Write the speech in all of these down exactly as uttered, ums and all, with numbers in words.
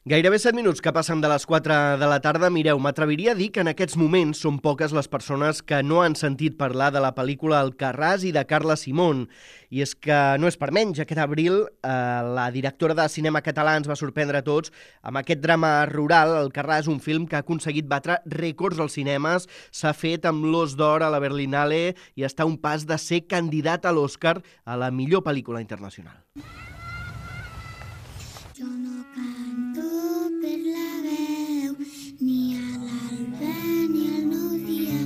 Gairebé set minuts que passen de les quatre de la tarda. Mireu, m'atreviria a dir que en aquests moments són poques les persones que no han sentit parlar de la pel·lícula Alcarràs i de Carla Simón. I és que no és per menys. Aquest abril eh, la directora de cinema català ens va sorprendre a tots amb aquest drama rural. Alcarràs, un film que ha aconseguit batre rècords als cinemes, s'ha fet amb l'Os d'Or a la Berlinale i està a un pas de ser candidat a l'Oscar a la millor pel·lícula internacional. Jo no canto per la veu, ni a l'alba ni al nou dia.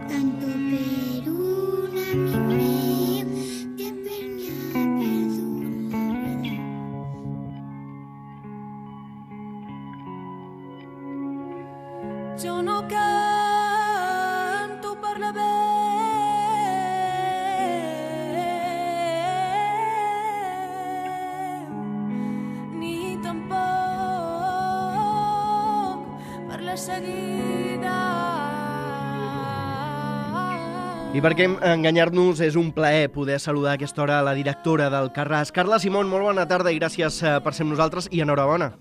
Canto per un amic meu que per mi ha perdut la vida. Jo no canto per la veu, seguida. I perquè enganyar-nos és un plaer poder saludar a aquesta hora la directora d'Alcarràs. Carla Simón, molt bona tarda i gràcies per ser amb nosaltres i enhorabona.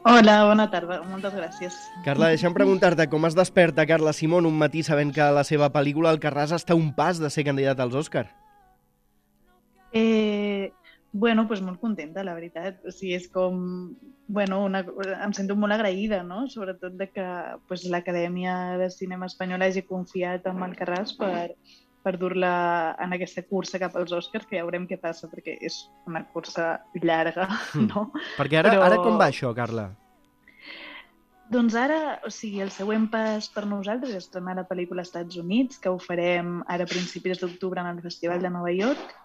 Hola, bona tarda, moltes gràcies. Carla, deixa'm preguntar-te com es desperta Carla Simón un matí sabent que la seva pel·lícula Alcarràs està a un pas de ser candidat als Òscar? Eh... Bueno, pues molt contenta, la veritat. O sigui, és com... Bueno, una, em sento molt agraïda, no? Sobretot de que pues, l'Acadèmia de Cinema Espanyola hagi confiat en Alcarràs per, per dur-la en aquesta cursa cap als Oscars, que ja veurem què passa, perquè és una cursa llarga, no? Mm. Perquè ara, Però... ara com va això, Carla? Doncs ara, o sigui, el següent pas per nosaltres és estrenar la pel·lícula als Estats Units, que ho farem ara a principis d'octubre en el Festival de Nova York,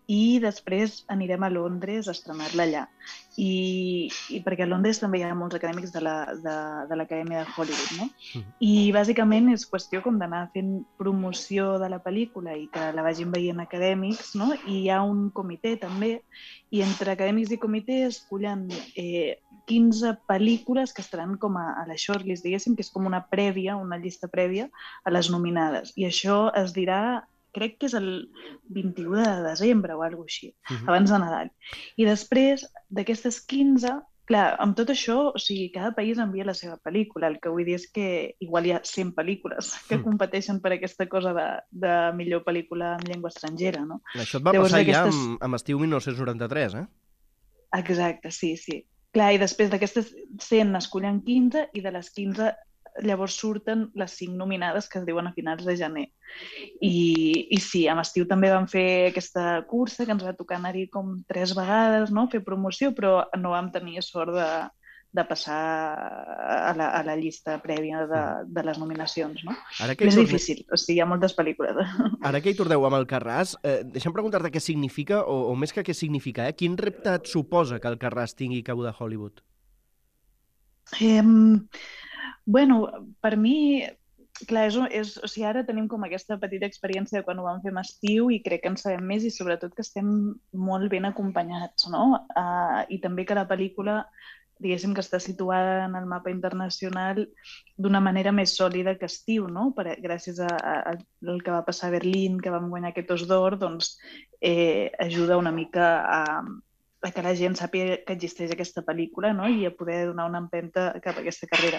i després anirem a Londres a estrenar-la allà. I, i perquè a Londres també hi ha molts acadèmics de la, de, de l'Acadèmia de Hollywood, no? Mm. I bàsicament és qüestió com d'anar fent promoció de la pel·lícula i que la vagin veient acadèmics, no? I hi ha un comitè també, i entre acadèmics i comitè escollen eh, quinze pel·lícules que estaran com a, a la shortlist, diguéssim, que és com una prèvia, una llista prèvia a les nominades. I això es dirà, crec que és el vint-i-u de desembre o alguna cosa així, uh-huh. abans de Nadal. I després d'aquestes quinze, clar, amb tot això, o sigui, cada país envia la seva pel·lícula. El que vull dir és que igual hi ha cent pel·lícules que uh-huh. competeixen per aquesta cosa de, de millor pel·lícula en llengua estrangera, no? Això et va Llavors, passar d'aquestes... ja amb, amb Estiu mil nou-cents noranta-tres, eh? Exacte, sí, sí. Clar, i després d'aquestes cent n'escollen quinze i de les quinze llavors surten les cinc nominades que es diuen a finals de gener. I, i sí, a l'estiu també vam fer aquesta cursa que ens va tocar anar-hi com tres vegades, no? Fer promoció, però no vam tenir sort de, de passar a la, a la llista prèvia de, de les nominacions, no? Ara que és torne... difícil, o sigui, hi ha moltes pel·lícules. Ara que hi torneu amb Alcarràs, eh, deixa'm preguntar-te què significa, o, o més que què significa, eh? Quin repte et suposa que Alcarràs tingui cabuda a Hollywood? Eh... Bueno, per mi, clar, és, és, o sigui, ara tenim com aquesta petita experiència de quan ho vam fer amb Estiu i crec que en sabem més i sobretot que estem molt ben acompanyats, no? Uh, I també que la pel·lícula, diguéssim que està situada en el mapa internacional d'una manera més sòlida que Estiu, no? Per, gràcies a, a, al que va passar a Berlín, que vam guanyar aquest Os d'Or, doncs eh, ajuda una mica a... a que la gent sàpiga que existeix aquesta pel·lícula, no? I a poder donar una empenta cap a aquesta carrera.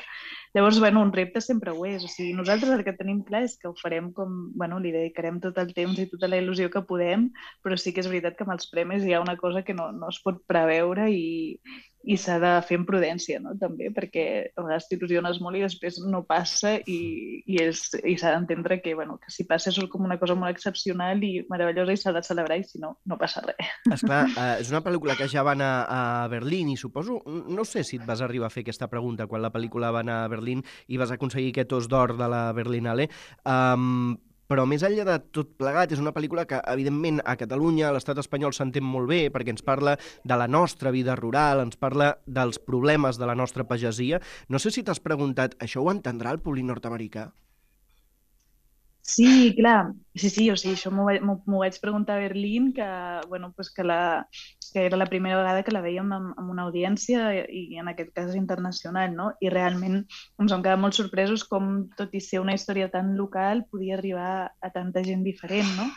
Llavors, bueno, un repte sempre ho és. O sigui, nosaltres el que tenim clar és que ho farem com... Bueno, li dedicarem tot el temps i tota la il·lusió que podem, però sí que és veritat que amb els premis hi ha una cosa que no, no es pot preveure i, i s'ha de fer amb prudència, no? També, perquè a vegades t'il·lusiones molt i després no passa i, i, és, i s'ha d'entendre que, bueno, que si passa és com una cosa molt excepcional i meravellosa i s'ha de celebrar i si no, no passa res. Esclar, eh, és una pel·lícula que ja va anar a Berlín i suposo, no sé si et vas arribar a fer aquesta pregunta quan la pel·lícula va anar a Berlín i vas aconseguir aquest Os d'Or de la Berlinale, um, però més enllà de tot plegat, és una pel·lícula que, evidentment, a Catalunya, a l'estat espanyol s'entén molt bé perquè ens parla de la nostra vida rural, ens parla dels problemes de la nostra pagesia. No sé si t'has preguntat, això ho entendrà el públic nord-americà? Sí, clar, sí, sí, o sigui, això m'ho vaig, m'ho vaig preguntar a Berlín, que, bueno, pues que la, que era la primera vegada que la veiem amb, amb una audiència i en aquest cas internacional, no? I realment ens vam quedar molt sorpresos com, tot i ser una història tan local, podia arribar a tanta gent diferent, no?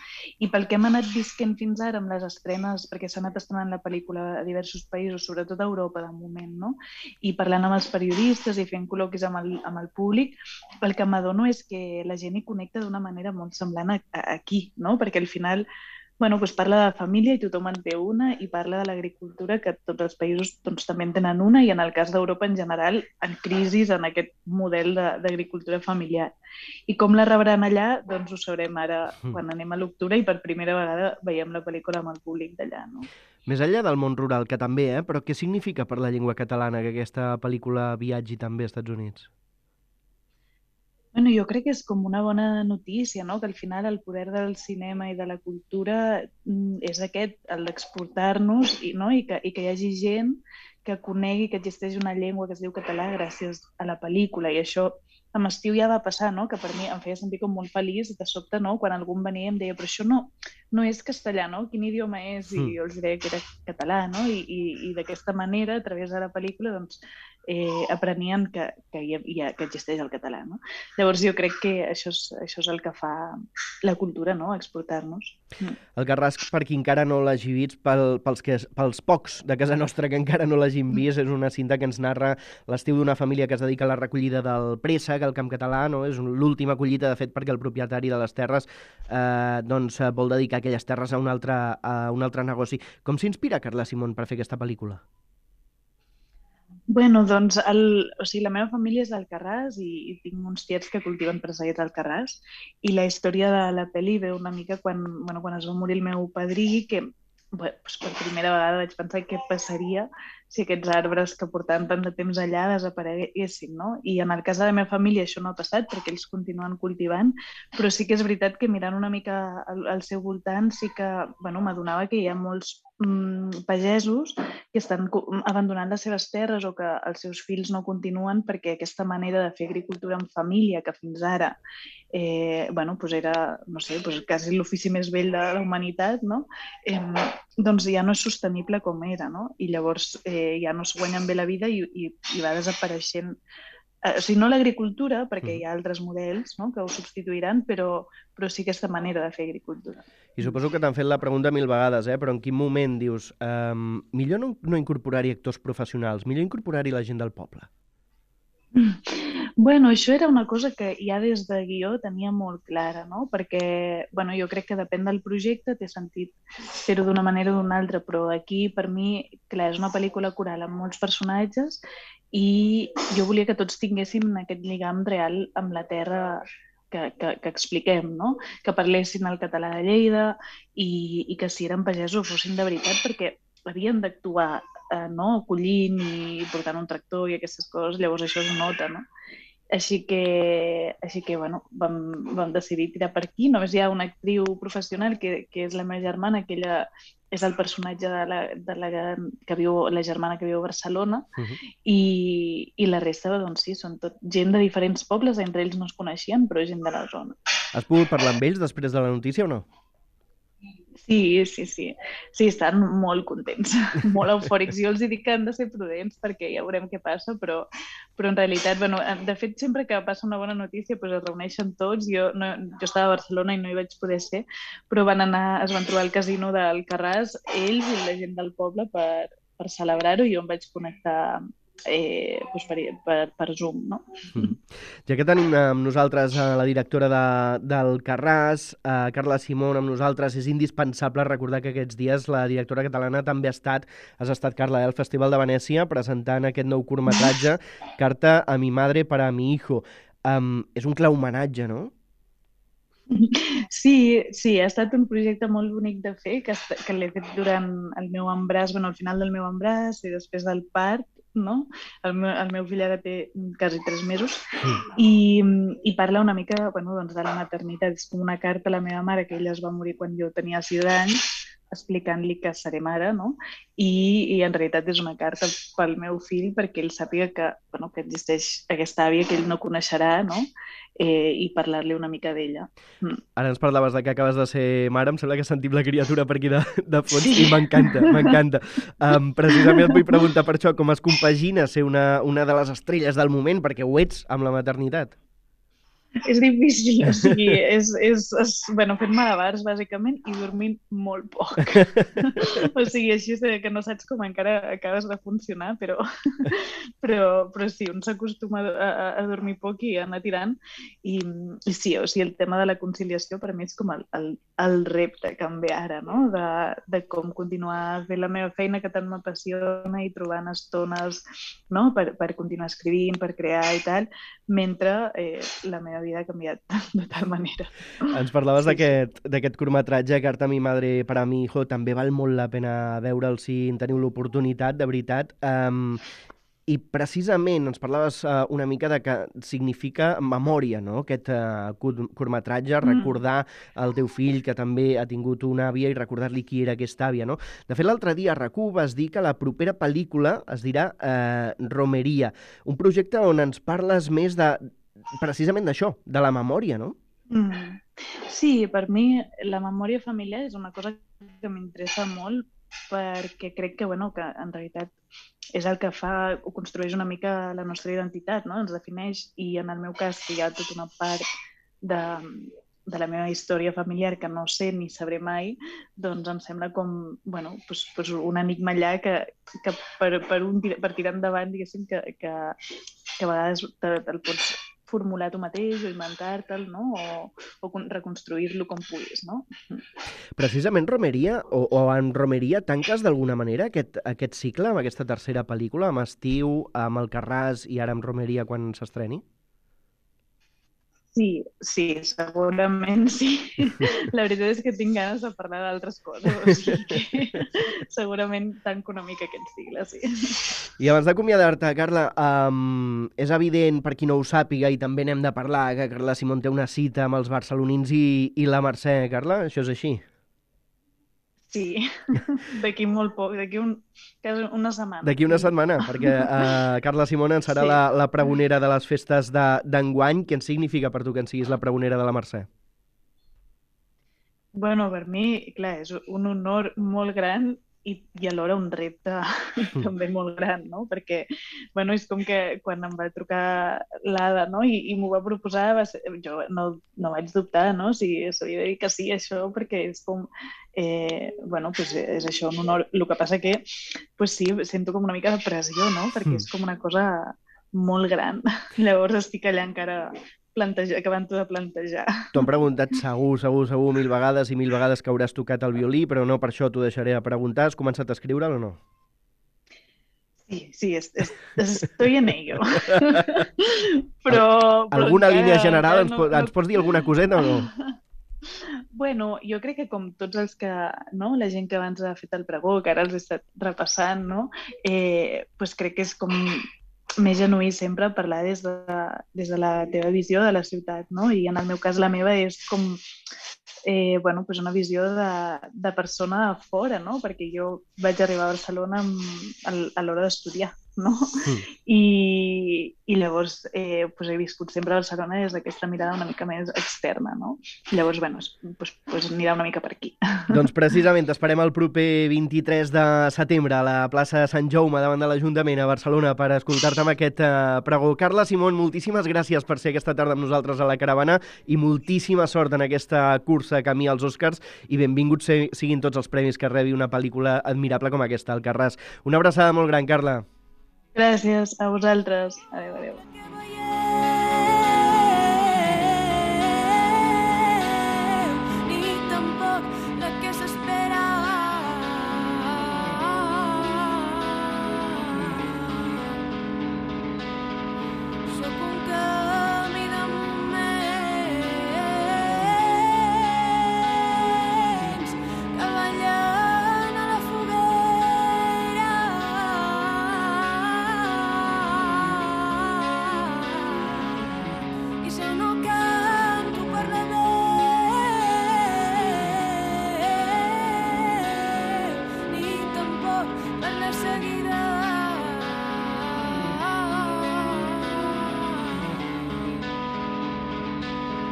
I pel que hem anat visquent fins ara amb les estrenes, perquè s'ha anat estrenant la pel·lícula a diversos països, sobretot a Europa de moment, no? I parlant amb els periodistes i fent col·loquis amb el, amb el públic, el que m'adono és que la gent hi connecta d'una manera molt semblant a, a aquí, no? Perquè al final bueno, doncs parla de família i tothom en té una, i parla de l'agricultura, que tots els països doncs, també en tenen una, i en el cas d'Europa en general, en crisi en aquest model d'agricultura familiar. I com la rebran allà, doncs ho sabrem ara quan anem a l'octubre i per primera vegada veiem la pel·lícula amb el públic d'allà, no? Més enllà del món rural, que també, eh? Però què significa per la llengua catalana que aquesta pel·lícula viatgi també als Estats Units? Bueno, jo crec que és com una bona notícia, no? Que al final el poder del cinema i de la cultura és aquest, el d'exportar-nos, i, no? I, que, i que hi hagi gent que conegui que existeix una llengua que es diu català gràcies a la pel·lícula. I això amb Estiu ja va passar, no? Que per mi em feia sentir com molt feliç, de sobte, no? Quan algú em venia i em deia, però això no, no és castellà, no? Quin idioma és? I jo els deia que era català, no? I, i, i d'aquesta manera, a través de la pel·lícula, doncs, eh, aprenien que, que, hi ha, que existeix el català, no? Llavors jo crec que això és, això és el que fa la cultura, no? Exportar-nos. Mm. El Carràs, per qui encara no l'hagi vist, pel, pels, que, pels pocs de casa nostra que encara no l'hagin vist, és una cinta que ens narra l'estiu d'una família que es dedica a la recollida del préssec al camp català, no? És l'última collita, de fet, perquè el propietari de les terres eh, doncs, vol dedicar aquelles terres a un altre, a un altre negoci. Com s'inspira Carla Simón per fer aquesta pel·lícula? Bueno, doncs el, o sigui, la meva família és d'Alcarràs i, i tinc uns tiets que cultiven presseguets a Alcarràs, i la història de la pel·li ve una mica quan, bueno, quan es va morir el meu padrí, que bueno, doncs per primera vegada vaig pensar què passaria si aquests arbres que portaven tant de temps allà desapareguessin, no? I en el cas de la meva família això no ha passat perquè ells continuen cultivant, però sí que és veritat que mirant una mica al, al seu voltant sí que bueno, m'adonava que hi ha molts mm, pagesos que estan abandonant les seves terres o que els seus fills no continuen perquè aquesta manera de fer agricultura en família, que fins ara eh, bueno, pues era, no sé, pues quasi l'ofici més vell de la humanitat, no? Eh, doncs ja no és sostenible com era, no? I llavors eh, ja no es guanyen bé la vida i, i, i va desapareixent. Eh, o sigui, no l'agricultura, perquè hi ha altres models, no?, que ho substituiran, però, però sí aquesta manera de fer agricultura. I suposo que t'han fet la pregunta mil vegades, eh? Però en quin moment dius um, millor no, no incorporar-hi actors professionals, millor incorporar-hi la gent del poble? Bueno, això era una cosa que ja des de guió tenia molt clara, no? Perquè bueno, jo crec que depèn del projecte, té sentit fer-ho d'una manera o d'una altra, però aquí per mi, clar, és una pel·lícula coral amb molts personatges i jo volia que tots tinguéssim aquest lligam real amb la terra que, que, que expliquem, no? Que parlessin el català de Lleida i, i que si eren pagesos fossin de veritat, perquè havien d'actuar eh, no? Collint i portant un tractor i aquestes coses, llavors això es nota, no? Així que, així que bueno, vam, vam decidir tirar per aquí. Només hi ha una actriu professional que, que és la meva germana, que ella és el personatge de la, de la, que viu, la germana que viu a Barcelona, uh-huh. i, i la resta, doncs sí, són tot gent de diferents pobles, entre ells no es coneixien, però gent de la zona. Has pogut parlar amb ells després de la notícia o no? Sí, sí, sí. Sí, estan molt contents, molt eufòrics. Jo els dic que han de ser prudents perquè ja veurem què passa, però, però en realitat, bueno, de fet, sempre que passa una bona notícia doncs es reuneixen tots. Jo, no, jo estava a Barcelona i no hi vaig poder ser, però van anar, es van trobar al casino d'Alcarràs, ells i la gent del poble per, per celebrar-ho, i jo em vaig connectar eh, doncs per, per, per Zoom, no? Mm. Ja que tenim amb nosaltres eh, la directora de, del Carràs, eh, Carla Simón, amb nosaltres, és indispensable recordar que aquests dies la directora catalana també ha estat, has estat, Carla, al Festival de Venècia presentant aquest nou curtmetratge, Carta a mi madre para mi hijo. Um, és un clar homenatge, no? Sí, sí, ha estat un projecte molt bonic de fer, que, que l'he fet durant el meu embràs, bueno, al final del meu embràs i després del part, no? El meu, el meu fill ara té quasi tres mesos i, i parla una mica bueno, doncs de la maternitat. És com una carta a la meva mare, que ella es va morir quan jo tenia sis anys, explicant-li que seré mare, no? I, i en realitat és una carta pel meu fill perquè ell sàpiga que, bueno, que existeix aquesta àvia que ell no coneixerà, no? Eh, i parlar-li una mica d'ella. Mm. Ara ens parlaves de que acabes de ser mare, em sembla que sentim la criatura per aquí de, de fons Sí. i m'encanta, m'encanta. Um, precisament et vull preguntar per això, com es compagina ser una, una de les estrelles del moment, perquè ho ets amb la maternitat. És difícil, o sigui, és, és, és bueno, fent malabars, bàsicament, i dormint molt poc. O sigui, així és que no saps com encara acabes de funcionar, però, però, però sí, un s'acostuma a, a, a dormir poc i a anar tirant. I, i sí, o sigui, el tema de la conciliació per mi és com el, el, el repte que em ve ara, no? De, de com continuar fent la meva feina que tant m'apassiona i trobant estones, no? Per, per continuar escrivint, per crear i tal, mentre eh, la meva vida ha canviat de tal manera. Ens parlaves Sí, d'aquest d'aquest curtmetratge, Carta a mi madre para mi hijo, també val molt la pena veure'l si en teniu l'oportunitat, de veritat. Um, I precisament ens parlaves uh, una mica de que significa memòria, no?, aquest uh, curtmetratge, Mm. recordar el teu fill que també ha tingut una àvia i recordar-li qui era aquesta àvia, no? De fet, l'altre dia a RAC u vas dir que la propera pel·lícula es dirà uh, Romeria, un projecte on ens parles més de precisament d'això, de la memòria, no? Mm. Sí, per mi la memòria familiar és una cosa que m'interessa molt perquè crec que, bueno, que en realitat és el que fa o construeix una mica la nostra identitat, no? Ens defineix, i en el meu cas, que hi ha tota una part de, de la meva història familiar que no sé ni sabré mai, doncs em sembla com, bueno, pues, pues un enigma allà que, que per, per, un, per tirar endavant, diguéssim, que, que, que a vegades te'l te pots formular tu mateix o inventar-te'l, no? O, o reconstruir-lo com puguis, no? Precisament Romeria, o, o en Romeria, tanques d'alguna manera aquest, aquest cicle amb aquesta tercera pel·lícula, amb Estiu, amb Alcarràs i ara amb Romeria quan s'estreni? Sí, sí, segurament sí. La veritat és que tinc ganes de parlar d'altres coses, o sigui que segurament tanco una mica aquest cicle, sí. I abans d'acomiadar-te, Carla, um, és evident, per qui no ho sàpiga, i també n'hem de parlar, que Carla Simón té una cita amb els barcelonins i, i la Mercè. Carla, això és així? Sí, d'aquí molt poc, d'aquí un, quasi una setmana. D'aquí una setmana, perquè uh, Carla Simón en serà Sí. la, la pregonera de les festes d'enguany. Què en significa per tu que en siguis la pregonera de la Mercè? Bueno, per mi, clar, és un honor molt gran i, i alhora un repte també molt gran, no? Perquè, bueno, és com que quan em va trucar l'Ada, no? I, i m'ho va proposar, va ser, jo no, no vaig dubtar, no? Si s'havia de dir que sí, això, perquè és com, eh, bueno, pues és això, un honor. El que passa que, pues sí, sento com una mica de pressió, no? Perquè és com una cosa molt gran. Llavors estic allà encara plantejar, acabant-ho de plantejar. T'ho han preguntat segur, segur, segur, mil vegades i mil vegades que hauràs tocat el violí, però no per això t'ho deixaré a preguntar. Has començat a escriure'l o no? Sí, sí, es, es, estoy en ello. però, però Alguna encara, línia general? encara Ens, po ens pots dir alguna coseta o no? Bueno, jo crec que com tots els que, no, la gent que abans ha fet el pregó, que ara els he estat repassant, no, eh, pues crec que és com més genuí sempre parlar des de, des de la teva visió de la ciutat, no? I en el meu cas la meva és com eh, bueno, pues una visió de, de persona a fora, no? Perquè jo vaig arribar a Barcelona amb, a, a l'hora d'estudiar, no? Mm. I, i llavors eh, pues he viscut sempre a Barcelona des d'aquesta mirada una mica més externa, no? Llavors, bueno, pues, pues anirà una mica per aquí. Doncs precisament t'esperem el proper vint-i-tres de setembre a la plaça de Sant Jaume davant de l'Ajuntament a Barcelona per escoltar-te amb aquest uh, pregó. Carla Simón, moltíssimes gràcies per ser aquesta tarda amb nosaltres a la Caravana i moltíssima sort en aquesta cursa camí als Oscars i benvinguts siguin tots els premis que rebi una pel·lícula admirable com aquesta, Alcarràs. Una abraçada molt gran, Carla. Gràcies a vosaltres. Adéu, adéu. Ni tampoc la que s'espera. Sóc un camí de moments que ballen a la foguera. la seguirà.